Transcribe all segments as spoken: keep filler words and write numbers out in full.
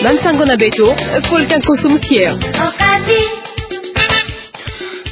Bansango na beto, Paul Kankoso Mutier.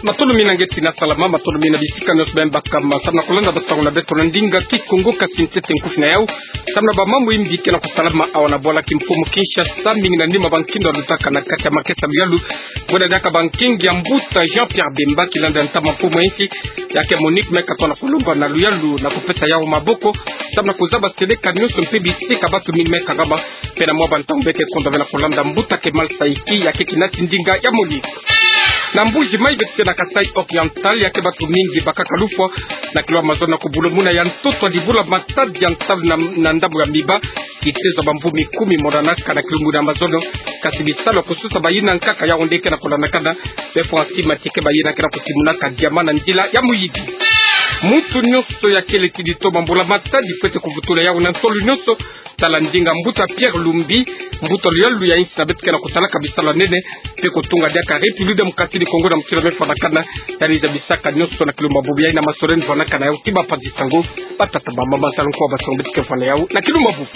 Matondo mingi nge ti na salama, matondo mingi na bisika nyonso beno baka ma samu na kolanda bansango na beto na ndinga Kikongo, kasi ntete nkufi na yau. Samu na bamambu imbi ke na kusalama awa na bwala kimfumu Kinshasa, mingi na nima bankindo ya lutaka na kati ya makesa luyalu. Bwela diaka bankingi ya mbuta Jean-Pierre Bemba, kilanda ntama mfumu ya insi, ya ke Monique, me katoa na kulomba na luyalu na kupesa yau maboko, samu na kuzaba seleka nyonso mpe bisika bantu mingi me kangama, mpe na mwa bantangu beke kondwa bena kolanda mbuta Kemal Saïki, ya ke kinati ndinga ya Monique. Na Mbuji Mayi beto na Kasaï Oriental, ya ke bantu mingi bakaka lufwa, na kilo ya mazono na kubulumuna ya ntoto ya libula matadi ya ntalu na, na ndambu ya Miba, kitezo bamvu mikumi monanaka na kilumbu na mazono, kasi bisalu kususa bayina nkaka yau nde ke na kulandakana, be fwa nsi mati ke bayina ke na kutimunaka diamant na nzila ya muyidi. Muntu nyonso ya kele ti dito bambula matadi fwete kuvutula yau na ntolo nyonso, tala ndinga mbuta Pierre Lumbi, mbuta luyalu ya insi na beto ke na kutalaka bisalu ya nene, mpe kutunga diaka République Démocratique du Congo na muti'lo me fwanakana, yandi zabisaka nyonso na kilumbu bubu yayi na masoleni fwanakana yau ti bapanzi sango, batata bamama, salu nkwa, bansango beto ke fwana yau na kilumbu bubu.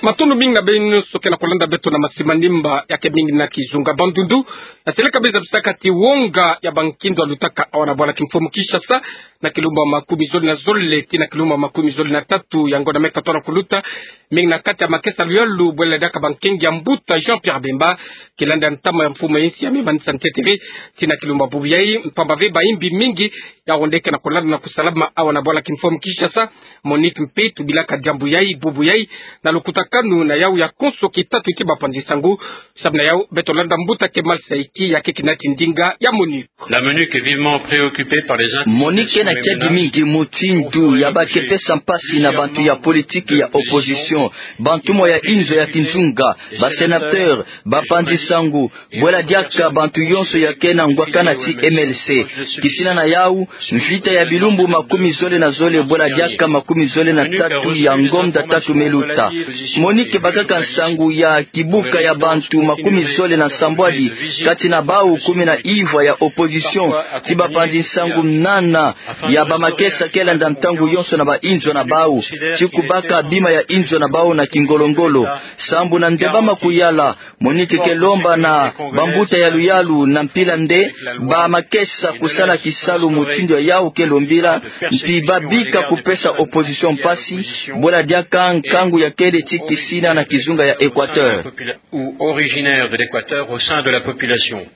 Matondo mingi na beno nyonso ke na kulanda beto na masimanima ya ke mingi na kizunga Bandundu. Na seleka beno zabisaka ti wonga ya bankindo ya lutaka awa na bwala kimfumu Kinshasa, na kilumbu makumi zole na zole ti na kilumbu makumi zole na tatu ya ngonda me katoa na kuluta, mingi na kati ya makesa luyalu, bwela diaka bankingi ya mbuta Jean-Pierre Bemba, kilanda ntama ya mfumu ya insi, ya me manisa ntetere ti na kilumbu bubu yayi, mpamba ve baimbi mingi yau nde ke na kulanda na kusalama awa na bwala kimfumu Kinshasa. Monique mpe tubilaka diambu yayi bubu yayi, na lukutakanu na yau ya konso kitatu ti bapanzi sango, samu na yau beto landa mbuta Kemal Saïki, ya ke kinati ndinga ya Monique. La Monique est vivement préoccupée par les in- Monique ke na kiadi mingi mutindu ya ba ke pesa mpasi na bantu ya politiki ya opposition, bantu mwa ya inzo ya kinzunga, ba sénateur, bapanzi sango, bwela diaka bantu yonso ya ke na ngwakana ti M L C. Kisina na yau, mvita ya bilumbu makumi zole na zole bwela diaka makumi zole na tatu ya ngonda tatu me luta. Monique bakaka nsangu ya kibuka ya bantu makumi zole na nsambwadi, kati na bau kumi na ivwa ya opposition, ti bapanzi nsangu nana ya bamakesa ke landa ntangu yonso na bainzo na bau, ti kubaka bima ya inzo na bau na kingolongolo. Sambu na nde ba ma kuyala, Monique ke lomba na bambuta ya luyalu na mpila nde ba makesa kusala kisalu mutindu ya yau ke lombila, mpi ba bika kupesa opposition mpasi, bwela diaka nkangu ya kele ti kisina na kizunga ya Équateur. Ou originaire de l'Équateur au sein de la population.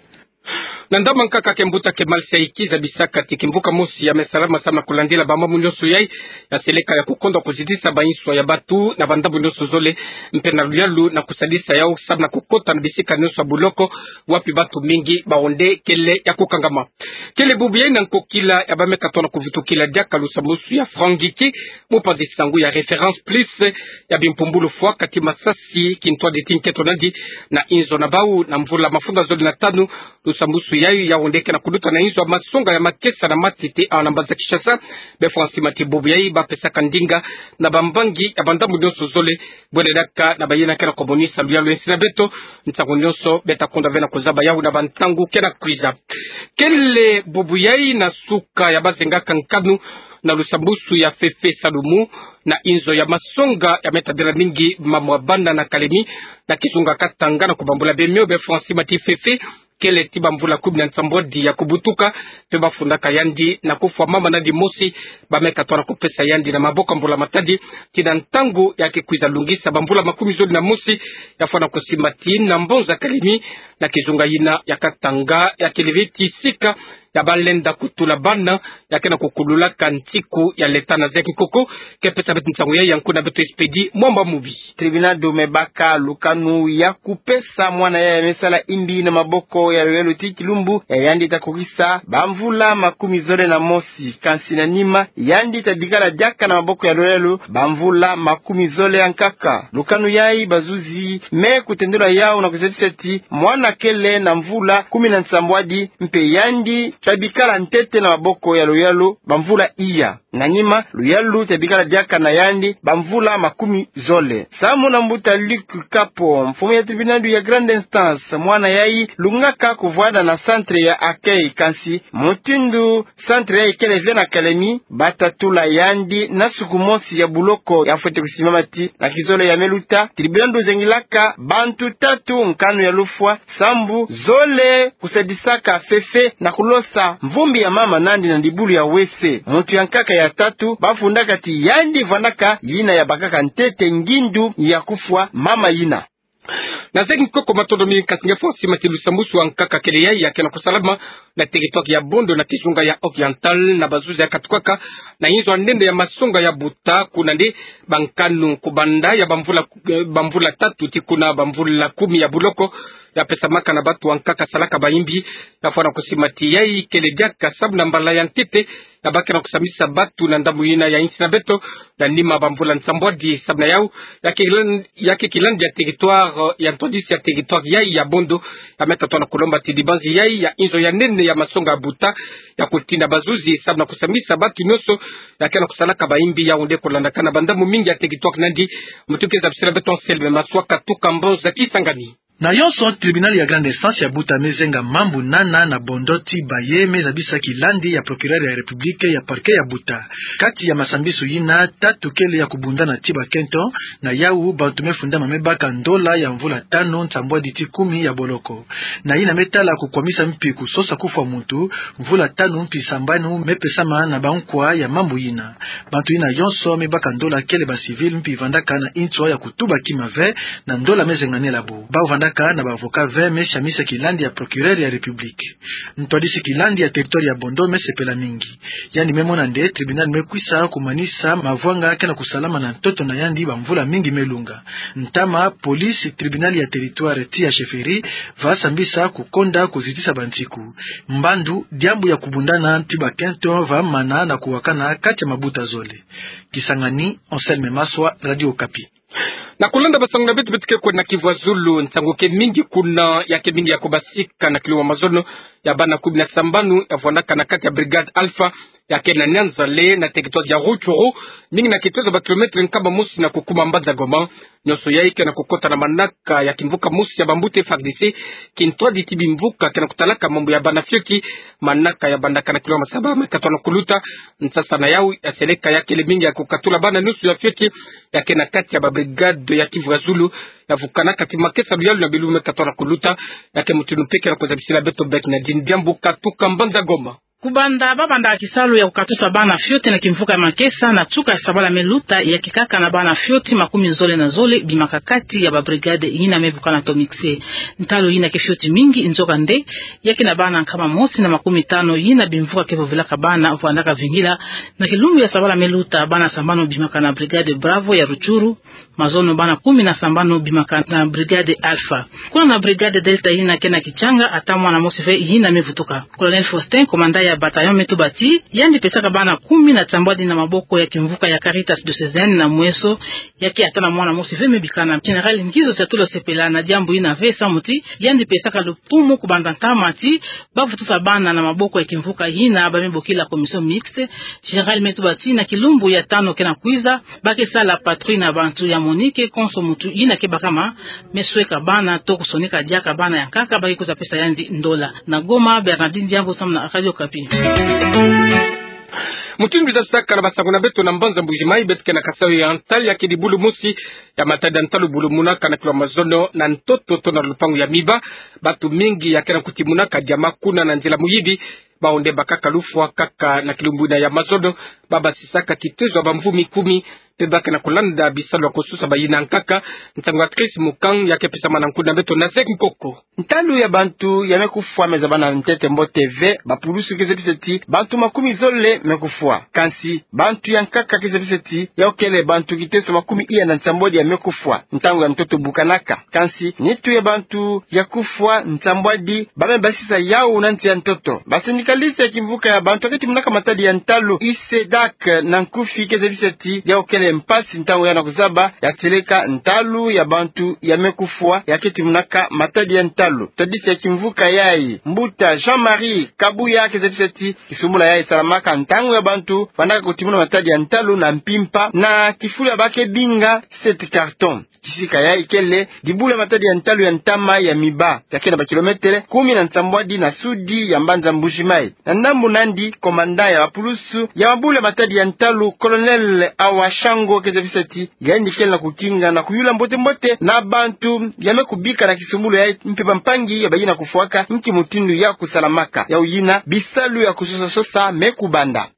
Na ndambu ya nkaka ke mbuta Kemal Saïki zabisaka ti kimvuka mosi ya me salama samu na kulandila bamambu nyonso yayi ya seleka ya kukondwa kuzitisa bainswa ya bantu na bandambu nyonso zole, mpe na luyalu na kusadisa yau samu na kukota na bisika nyonso ya buloko wapi bantu mingi bawu nde kele ya kukangama. Kele bubu yayi na nkokila ya ba me katoa na kuvutukila diaka lusambusu ya Franck Ngiki, mupanzi sangu ya Référence Plus, ya bimpumbulu fwa kati masasi kintwadi ti nkento nandi na inzo na bau na mvula mafunda zole na tanu. Lusambusu yayi, yawu nde ke na kuluta na inzo ya masonga ya makesa na matete awa na mbanza Kinshasa. Be fwa nsi mati bubu yayi ba pesaka ndinga na bambangi ya bandambu nyonso zole, bwele diaka na bayina ke na kumonisa luyalu ya nsi na beto. Nsangu nyonso beta kondwa ve na kuzaba yawu na bantangu ke na kwiza. Kele bubu yayi na suka ya ba zengaka nkanu na lusambusu ya Fefe Salumu na inzo ya masonga ya me tadila mingi mamu ya bana na Kalemi, na kizunga Katanga, na kubambula bemio be fwa nsi mati Fefe kele ti bamvula kumi na nsambwadi ya kubutuka, mpe ba fundaka yandi na kufwa mama nandi mosi, ba me katoa na kupesa yandi na maboko ya mbula matadi, ti na ntangu ya ke kwiza lungisa bamvula makumi zole na mosi ya fwa na kusimba ti na mbonza Kalemi, na kizunga yina ya Katanga, ya kele ve ti sika ya ba lenda kutula bana ya ke na kukululaka ntiku ya leta na zeki koko. Ke pesa beto nsangu yayi, ya nku na beto Expédit Mwamba Mubi. Tribunal do me baka lukanu ya kupesa mwana yaya me sala imbi na maboko ya lolelo ti kilumbu ya yandi ta kokisa bamvula makumi zole na mosi, kansi na nima yandi ta bikala diaka na maboko ya lolelo bamvula makumi zole ya nkaka. Lukanu yayi bazuzi me kutendula yawu na kuzabisa ti mwana kele na mvula kumi na nsambwadi, mpe yandi ta bikala ntete na maboko ya lolelo bamvula iya. Na nima, luyalu tia bikala diaka na yandi bamvula makumi zole. Samu na mbuta Luc Kapo, mfumu ya tribunal ya grande instance, mwana yayi lungaka kuvwanda na centre ya accueil, kansi mutindu centre yayi kele ve na kalemi, bata tula yandi na suku mosi ya buloko ya fwete kusimama ti na kizole ya me luta, tribunal zengilaka bantu tatu nkanu ya lufwa, sambu zole kusadisaka fefe na kulosa mvumbi ya mama nandi na ndibulu ya wese. Muntu ya nkaka ya tatu bafundaka ti yandi vwandaka yina ya bakaka ntete ngindu ya kufwa mama yina. Na zeki nkoko, matondo mingi, kasi nge fo si mati lusambusu wa nkaka kele yayi ya kena kusalama na territoire ya Bondo na kizunga ya Oriental, na bazuzi ya katukaka na inzo ya nene ya masonga ya buta, kuna nde bankanu kubanda ya bamvula, eh, bamvula tatu ti kuna bamvula kumi ya buloko, ya pesamaka na bantu wa nkaka salaka bayimbi. Ya fwana kusima ti yayi kele diaka samu na mbala ya ntete ya bakena kusambisa bantu na ndambu yina ya insi na beto, ya nima bamvula nsambwadi. Samu na yau, ya ke kilan-, ya ke kilandi ya territoire, ya ntwadisi ya territoire yayi ya Bondo, ya meka tona kulomba ti dibanzi yayi ya inzo ya nene ya masonga ya buta ya kutinda bazuzi samu na kusambisa bantu nyonso ya kena kusalaka bayimbi, yau nde kulandakana bandambu mingi ya territoire nandi. Mutu ke zabisila beto Anselme Maswa, katuka Mbanza Kisangani. Na yonso, tribunal ya grande instance ya buta me zenga mambu nana na Bondo ti baye me zabisa kilandi ya procureur ya République ya parquet ya buta. Kati ya masambisu yina, tatu kele ya kubundana ti bakento, na yau bantu me fundama me baka ndola ya mvula tanu nsambwadi ti kumi ya boloko. Na yina me tala kukwamisa mpi kusosa kufwa muntu, mvula tanu mpi sambanu me pesama na bankwa ya mambu yina. Bantu yina yonso me baka ndola kele ba civil mpi vandaka na inzo ya kutuba kima ve, na ndola me zenganela bo. Bau vandaka na ba avocat ve me samisa kilandi ya procureur ya République. Ntwadisi kilandi ya territoire ya Bondo me sepela mingi. Yandi me mona nde tribunal me kwisa kumanisa mavwanga kena kusalama na ntoto na yandi bamvula mingi me lunga. Ntama, police, tribunal ya territoire ti ya chefferie va sambisa kukonda kuzitisa bansiku. Mbandu, diambu ya kubundana ti bakento va mana na kuwakana kati ya mabuta zole. Kisangani, Anselme Maswa, Radio Okapi. Na kulanda basangu na beto, beto ke kwenda Kivu ya Zulu, nsangu ke mingi kuna, ya ke mingi ya kubasika na kilumbu ya mazono ya bana kumi na sambanu ya vwandaka na kati ya brigade Alpha, ya ke na Nyanza-le, na territoire ya Rutshuru, mingi na kitozo ba kilomètre nkama mosi na kukuma mbanza Goma. Nyonso yayi ke na kukota na manaka ya kimvuka mosi ya bambuta F A R D C, kintwadi ti bimvuka ke na kutalaka mambu ya bana fioti. Manaka ya bandaka na kilomètre saba me katwa na kuluta. Nsasa na yau ya seleka ya kele mingi ya kukatula bana nyonso ya fioti ya ke na kati ya ba brigade ya Kivu ya Zulu, ya vukanaka ti makesa luyalu na bilumbu me katwa na kuluta. Ya ke mutindu mpe ke na kuzabisila beto Bek na Dindiyambu, katuka mbanza Goma. Kubanda babandaka kisalu ya kukatusa bana fioti na kimvuka ya makesa na nsuka ya sabala me luta, ya ke kaka na bana fioti makumi zole na zole bimaka kati ya ba brigade yina me bukana to mixe. Ntalu yina ke fioti mingi, nzoka nde ya ke na bana nkama mosi na makumi tano yina bimvuka ke vovelaka bana vwandaka vingila. Na kilumbu ya sabala me luta, bana sambanu bimaka na brigade Bravo ya Rutshuru, mazono bana kumi na sambanu bimaka na brigade Alpha. Kuna na brigade Delta yina ke na Kitshanga, ata mwana mosi ve yina me vutuka. Colonel Faustin, commandant ya bataillon, me tuba ti yandi pesaka bana kumi na nsambwadi na maboko ya kimvuka ya Caritas diocésaine na mweso, ya ke ata na mwana mosi ve me bikana. Général Ngizo Siatula asepela na diambu yina ve samu ti yandi pesaka lupumu kubanda ntama ti ba vutusa bana na maboko ya kimvuka yina ba me bokila commission mixte. Général me tuba ti na kilumbu ya tano ke na kwiza, ba ke sala patrouille na bantu ya MONUC, konso muntu yina ke bakama me sweka bana to kusonika diaka bana ya nkaka, ba ke kwiza pesa yandi ndola. Na Goma, Bernardine Diambu samu na Radio Okapi. Mutindu twatasakana basangu na beto na mbanza Mbuji-Mayi, beto ke na Kasaï Oriental, ya ke dibulu mosi ya matadi ya ntalu bulumunaka na kilumbu ya mazono na ntoto to na lupangu ya miba. Bantu mingi ya ke na kutimunaka diama kuna na nzila muyibi. Bawu nde bakaka lufwa kaka na kilumbu yina ya mazono, ba basisaka kitezo ya bamvu mikumi, mpe ba ke na kulanda bisalu ya kususa bayina nkaka. Nsangu ya Chris Mukang ya ke pesama na nkuna beto na Zek Nkoko. Ntalu ya bantu ya me kufwa me zabana ntete mbote ve. Bapulusu ke zabisa ti bantu makumi zole me kufwa. Kansi bantu ya nkaka ke zabisa ti yawu kele bantu kiteso makumi iya na nsambwadi ya me kufwa ntangu ya ntoto bukanaka. Kansi nitu ya bantu ya kufwa nsambwadi ba me basisa yawu na nsi ya ntoto. Basani Sikalisi ya kimvuka ya bantu ya ke timonaka matadi ya ntalu, ISEDAC na nkufi, ke zabisa ti yau kele mpasi ntangu ya na kuzaba ya tieleka ntalu ya bantu ya me kufwa ya ke timonaka matadi ya ntalu. Ntwadisi ya kimvuka yayi, mbuta Jean-Marie Kabuya, ke zabisa ti kisumbula yayi salamaka ntangu ya bantu vandaka kutimona matadi ya ntalu na mpimpa na kifulu ya ba ke binga sept cartons. Kisika yayi kele dibula matadi ya ntalu ya ntama ya miba ya ke na ba kilometele kumi na nsambwadi na sudi ya mbanza Mbuji-Mayi. Na ndambu nandi, komanda ya bapulusu ya mabula matadi ya ntalu, Colonel Awa Shango, ke zabisa ti yandi kele na kukinga na kuyula mbote-mbote na bantu ya me kubika na kisumbulu yayi mpe bampangi ya bayina kufwaka nki mutindu ya kusalamaka. Yau yina bisalu ya kusosa-sosa me kubanda.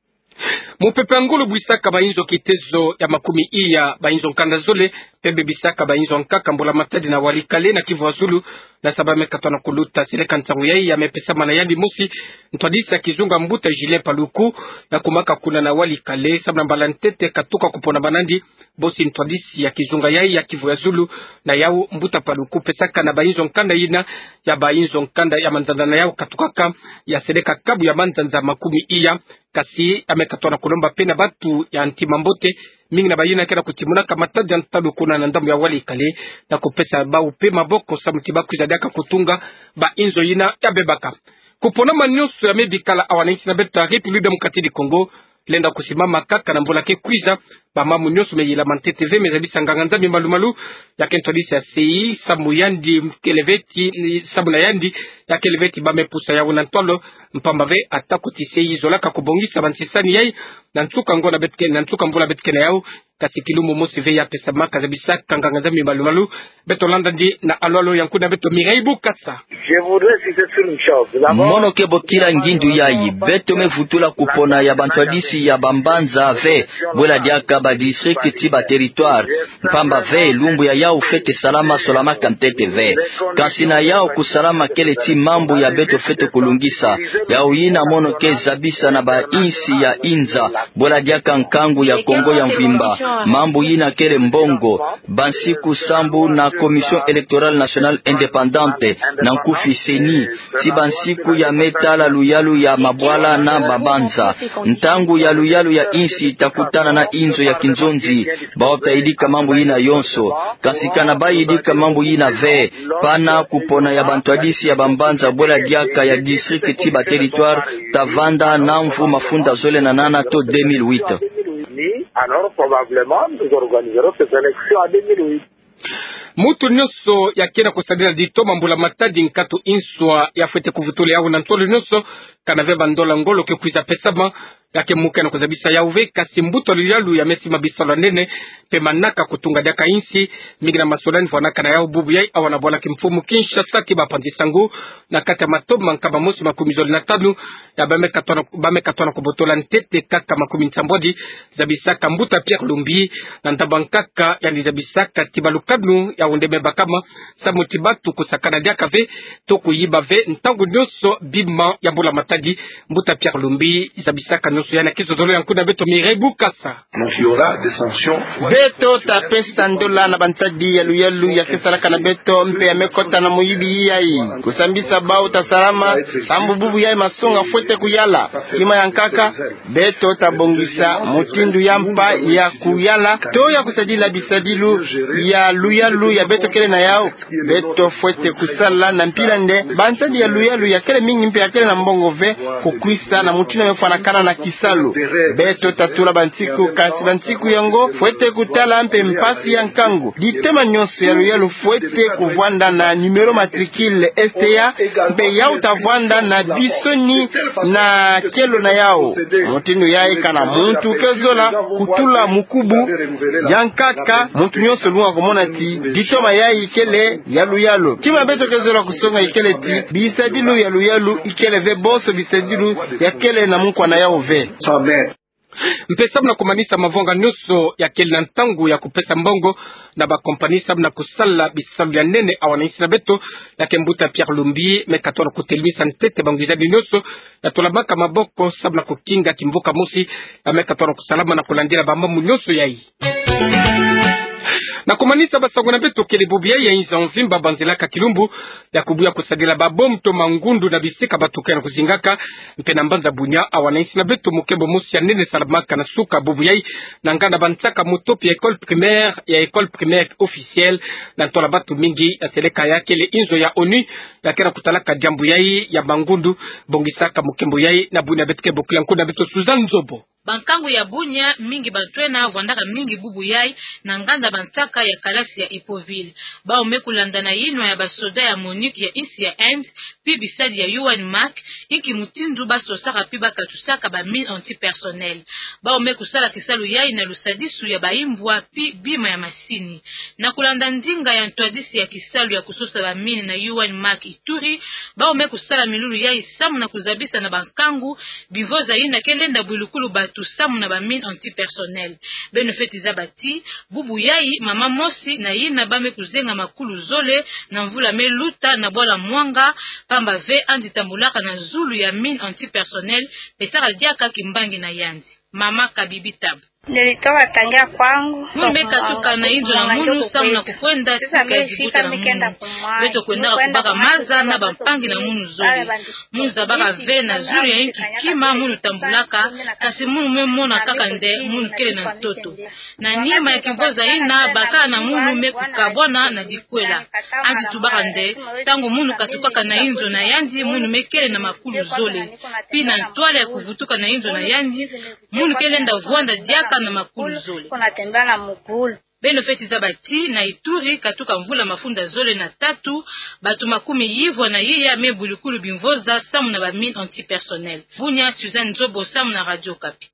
Mupepe ya ngolo bwisaka ba inzo kitezo ya makumi iya ba inzo nkanda zole, mpe bebisaka ba inzo nkaka mbula matadi na Walikale na Kivu ya Zulu, na saba me katona kuluta seleka nsangu yayi ya me pesama na yandi mosi ntwadisi ya kizunga, mbuta Julien Paluku, ya kumaka kuna na Walikale samu na mbala ntete katuka kupona ba nandi bosi ntwadisi ya kizunga yayi ya Kivu ya Zulu. Na yau mbuta Paluku pesaka na ba inzo nkanda yina ya ba inzo nkanda ya manzanza na yau katukaka ya seleka kabu ya manzanza makumi iya. Kasi ya me katona kulomba mpe na batu ya ntima mbote, mingi na bayina ke na kutimonaka matadi ya ntalu kuna na ndambu ya Walikale, na kupesa bau mpe maboko samu ti ba kwiza diaka kutunga ba inzo yina ya bebaka. Kuponama nyonso ya me bikala awa na insi na beto ya République Démocratique du Congo lenda kusimama kaka na mbula ke kwiza. Ba mambu nyonso me yilama ntete ve, me zabisa nganga-Nzambi malu-malu ya ke ntwadisi ya sei samu yandi kele ve ti, samu na yandi ya kele ve ti ba me pusa yau na ntwalo, mpamba ve atako ti sei zolaka kubongisa ba ntisani yayi na nsuka ngo na beto ke, na nsuka mbula beto ke na yau. Kasi kilumbu mosi ve ya pesamaka, zabisaka nganga-Nzambi malu-malu. Beto landa ndi na alo-alo ya nkunia beto Mireille Bukasa. Je voudrais citer sur une chose. D'abord, mono ke bokila ngindu yayi, beto me vutula kupona ya bantwadisi ya bambanza ve, bwela diaka ba district ti ba territoire. Mpamba ve lumbu ya yau fwete salama solamaka ntete ve. Kansi na yau kusalama kele ti mambu ya beto fwete kulungisa. Yau yina mono ke zabisa na ba insi ya inza, bwela diaka nkangu ya Kongo ya mvimba. Mambu yina kele mbongo. Bansiku sambu na Commission Électorale Nationale Indépendante, na nkufi CENI, ti bansiku ya me tala luyalu ya mabwala na mabanza. Ntangu ya luyalu ya insi ta kutana na inzo ya kinzonzi, bau ta yidika mambu yina yonso. Kansi kana ba yidika mambu yina ve, pana kupona ya bantwadisi ya bambanza bwela diaka ya district ti ba territoire ta vanda na mvu mafunda zole na nana to deux mille huit. Alors, probablement, nous organiserons ces élections en deux mille huit. Muntu nyonso ya ke na kusadila ditoma mbula matadi, nkatu inswa ya fwete kuvutula yau na ntolo nyonso, kana ve bandola ngolo ke kwiza pesama. Ya ke muke na kuzabisa yau ve, kasi mbuta luyalu ya me sima bisalu ya nene mpe manaka kutunga diaka insi, mingi na masolani vwanaka na yau bubu yayi awa na bwala kimfumu Kinshasa ti bapanzi sango, na kati ya matoma nkama mosi makumi zole na tanu, ya ba me katona, ba me katona kubotola ntete kaka makumi nsambwadi, zabisaka mbuta Pierre Lumbi, na ndambu nkaka yandi zabisaka ti balukanu yau nde me bakama, samu ti batu kusakana diaka ve, to kuyiba ve, ntangu nyonso bima ya mbula matadi. Mbuta Pierre Lumbi zabisaka nyonso yandi na kizozolo ya nkunia beto Mireille Bukasa. Donc, il y aura des sanctions. Beto ta pesa ndola na bantadi ya luyalu ya ke salaka na beto mpe ya me kota na muyibi yayi. Kusambisa bau ta salama, sambu bubu yayi masonga fwete kuyala. Kima ya nkaka, beto ta bongisa mutindu ya mpa ya kuyala, to ya kusadila bisadilu ya luyalu ya beto kele na yau. Beto fwete kusala na mpila nde bantadi ya luyalu ya kele mingi mpe ya kele na mbongo ve, kukwisa na mutindu ya me fwanakana na kisalu. Beto ta tula bansiku, kasi bansiku yango fwete kutala mpe mpasi ya nkangu. Ditoma nyonso ya luyalu fwete kuvwanda na numéro matricule S T A, mpe yau ta vwanda na bisoni na kielo na yau. Mutindu yayi kana muntu ke zola kutula mukubu. Ya nkaka, muntu nyonso lunga kumona ti ditoma yayi kele ya luyalu. Kima beto ke zola kusonga ikele ti bisadilu ya luyalu ikele ve bonso bisadilu ya kele na mukwa na yau ve. Mpe samu na kumanisa mavanga nyonso ya kele na ntangu ya kupesa mbongo na ba compagnie samu na kusala bisalu ya nene awa na insi na beto, ya ke mbuta Pierre Lumbi me katona kutelemisa ntete bangwizani nyonso ya tolamaka maboko samu na kukinga kimvuka mosi ya me katona kusalama na kulandila bamambu nyonso yayi. Na kumanisa basango na beto kele bubu yai ya inzo mvimba banzilaka kilumbu ya kubuya kusadila ba bombe to mangundu na bisika bato ke na kuzingaka. Mpe na mbanza Bunia, awa na insi na beto mokembo mosi ya nene salamaka na suka bubu yai na nganda bansaka motopi ya école primaire, ya école primaire officielle, na ntwala bato mingi ya seleka ya kele inzo ya ONU ya ke na kutalaka diambu yai ya mangundu. Bongisaka mokembo yai na Bunia, beto ke bokila nko na beto Suzanne Nzobo. Bankangu ya Bunia mingi, bato ena vwandaka mingi bubu yai na nganda bansaka ya kalasi ya Hippoville. Bawu me kulanda na yinwa ya basoda ya MONUC ya insi ya Inde, pi bisadi ya U N MAC, inki mutindu basosaka pi bakatusaka ba mine antipersonnel. Bawu me kusala kisalu yai na lusadisu ya baimbwa pi bima ya masini. Na kulanda ndinga ya ntwadisi ya kisalu ya kusosa ba mine na U N MAC Ituri, bawu me kusala milulu yai samu na kuzabisa na bankangu bimvoza yina ke lenda bwilukulu bato samu na ba mine antipersonnel. Beno feti zaba ti, bubu yai, mama mosi na yina ba me kuzenga makulu zole na mvula me luta na bwala Mwanga, pamba ve andi tambulaka na zulu ya mine antipersonnel, pesaka diaka kimbangi na yandi. Mama Kabibi Tabu. Nilitoka tangia kwangu. Munu me katuka na inzo na munu samu na kukwenda tika ya dibuta na munu. Beto kwendaka kubaka maza na bampangi na munu zole. Munu zabaka ve na zulu ya inki kima munu tambulaka, kasi munu me mona kaka nde munu kele na ntoto. Na nima ya kimvoza yina, bakala na munu me kukabwana na dikwela. Andi tubaka nde, ntangu munu katukaka na inzo na yandi, munu me kele na makulu zole. Pi na ntwala ya kuvutuka na inzo na yandi, munu ke lenda vwanda diaka na makulu zole. Beno feti zaba ti na Ituri, katuka mvula mafunda zole na tatu, bato makumi yivwa na iya me bwilukulu bimvoza samu na ba mine antipersonnel. Bunia, Suzanne Nzobo samu na Radio Okapi.